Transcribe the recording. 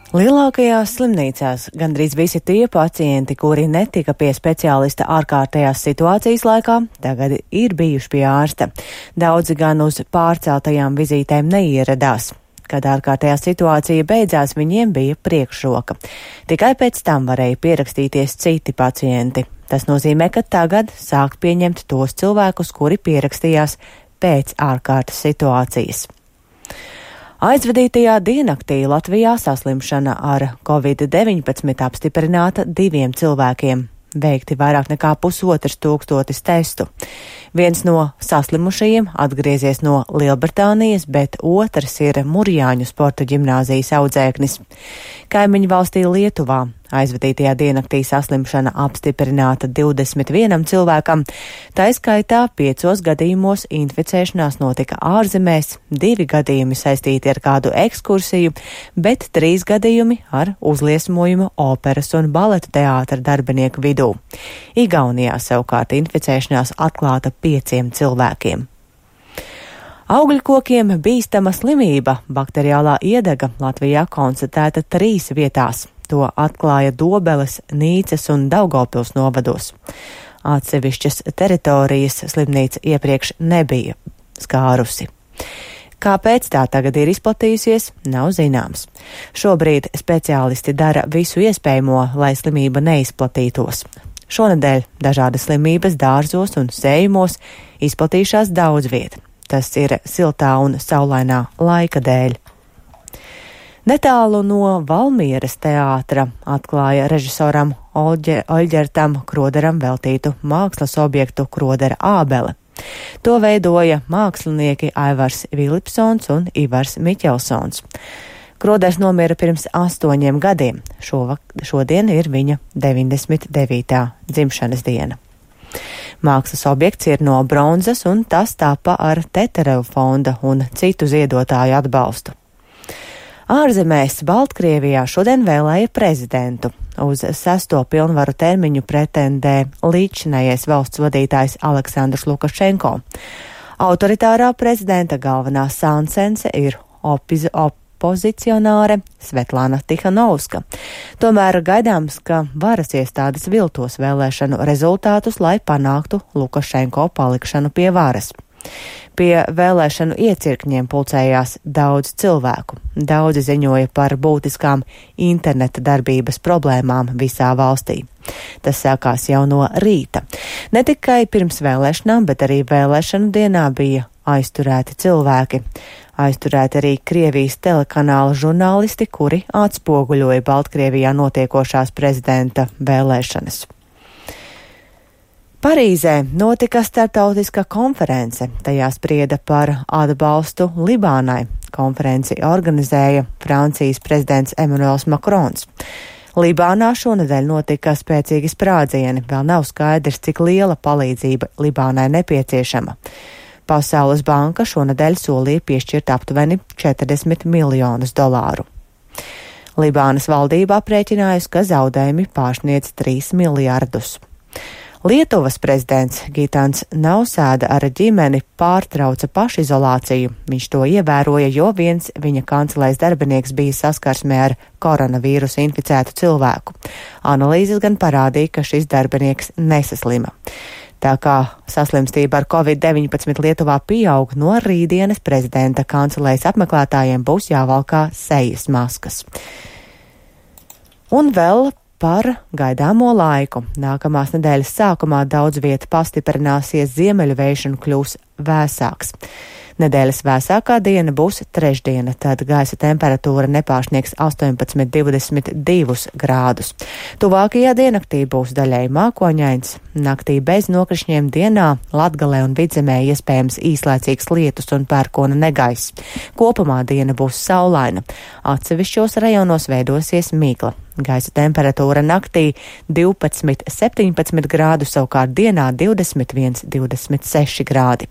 Lielākajās slimnīcās gandrīz visi tie pacienti, kuri netika pie speciālista ārkārtējās situācijas laikā, tagad ir bijuši pie ārsta. Daudzi gan uz pārceltajām vizītēm neieradās. Kad ārkārtējā situācija beidzās, viņiem bija priekšroka. Tikai pēc tam varēja pierakstīties citi pacienti. Tas nozīmē, ka tagad sāk pieņemt tos cilvēkus, kuri pierakstījās pēc ārkārtas situācijas. Aizvadītajā diennaktī Latvijā saslimšana ar Covid-19 apstiprināta 2 cilvēkiem. Veikti vairāk nekā 1500 testu. Viens no saslimušajiem atgriezies no Lielbritānijas, bet otrs ir Murjāņu sporta ģimnāzijas audzēknis. Kaimiņu valstī Lietuvā aizvadītajā diennaktī saslimšana apstiprināta 21 cilvēkam, tā skaitā 5 gadījumos inficēšanās notika ārzemēs, 2 gadījumi saistīti ar kādu ekskursiju, bet 3 gadījumi ar uzliesmojumu operas un baleta teātra darbinieku vidū. Igaunijā savukārt inficēšanās atklāta 5 cilvēkiem. Augļkokiem bīstama slimība, bakteriālā iedega, Latvijā konstatēta 3 vietās. To atklāja Dobeles, Nīcas un Daugavpils novados. Atsevišķas teritorijas slimnīca iepriekš nebija skārusi. Kāpēc tā tagad ir izplatījusies, nav zināms. Šobrīd speciālisti dara visu iespējamo, lai slimība neizplatītos. Šonedēļ dažādas slimības dārzos un sējumos izplatījušās daudz viet. Tas ir siltā un saulainā laika dēļ. Netālu no Valmieras teātra atklāja režisoram Oļģertam Kroderam veltītu mākslas objektu Krodera ābele. To veidoja mākslinieki Aivars Vilipsons un Ivars Miķelsons. Kroders nomira pirms 8 gadiem. Šodien ir viņa 99. dzimšanas diena. Mākslas objekts ir no bronzas un tas tapa ar Teterevu fonda un citu ziedotāju atbalstu. Ārzemēs Baltkrievijā šodien vēlēja prezidentu. Uz 6. pilnvaru termiņu pretendē līdzinājais valsts vadītājs Aleksandrs Lukašenko. Autoritārā prezidenta galvenā sāncense ir opozicionāre Svetlana Tihanovska. Tomēr gaidāms, ka varas iestādes viltos vēlēšanu rezultātus, lai panāktu Lukašenko palikšanu pie varas. Pie vēlēšanu iecirkņiem pulcējās daudz cilvēku. Daudzi ziņoja par būtiskām interneta darbības problēmām visā valstī. Tas sākās jau no rīta. Ne tikai pirms vēlēšanām, bet arī vēlēšanu dienā bija aizturēti cilvēki. Aizturēti arī Krievijas telekanāla žurnālisti, kuri atspoguļoja Baltkrievijā notiekošās prezidenta vēlēšanas. Parīzē notika starptautiska konference, tajā sprieda par atbalstu Libānai. Konferenci organizēja Francijas prezidents Emmanuels Macrons. Libānā šonedēļ notika spēcīgi sprādzieni, vēl nav skaidrs, cik liela palīdzība Libānai nepieciešama. Pasaules banka šonedēļ solīja piešķirt aptuveni $40 miljonus. Libānas valdība aprēķinājusi, ka zaudējumi pārsniedz 3 miljardus. Lietuvas prezidents Gitans Nausēda ar ģimeni pārtrauca pašizolāciju. Viņš to ievēroja, jo viens viņa kancelēs darbinieks bija saskarsmē ar koronavīrusu inficētu cilvēku. Analīzes gan parādīja, ka šis darbinieks nesaslima. Tā kā saslimstība ar Covid-19 Lietuvā pieaug, no rītdienas prezidenta kancelēs apmeklētājiem būs jāvalkā sejas maskas. Un vēl par gaidāmo laiku. Nākamās nedēļas sākumā daudz vietu pastiprināsies ziemeļu vējš un kļūs vēsāks. Nedēļas vēsākā diena būs trešdiena, tad gaisa temperatūra nepārsniegs 18–22 grādus. Tuvākajā diennaktī būs daļēji mākoņains, naktī bez nokrišņiem, dienā Latgalē un Vidzemē iespējams īslaicīgs lietus un pērkona negaiss. Kopumā diena būs saulaina. Atsevišķos rajonos veidosies mīkla. Gaisa temperatūra naktī 12–17 grādu, savukārt dienā 21–26 grādi.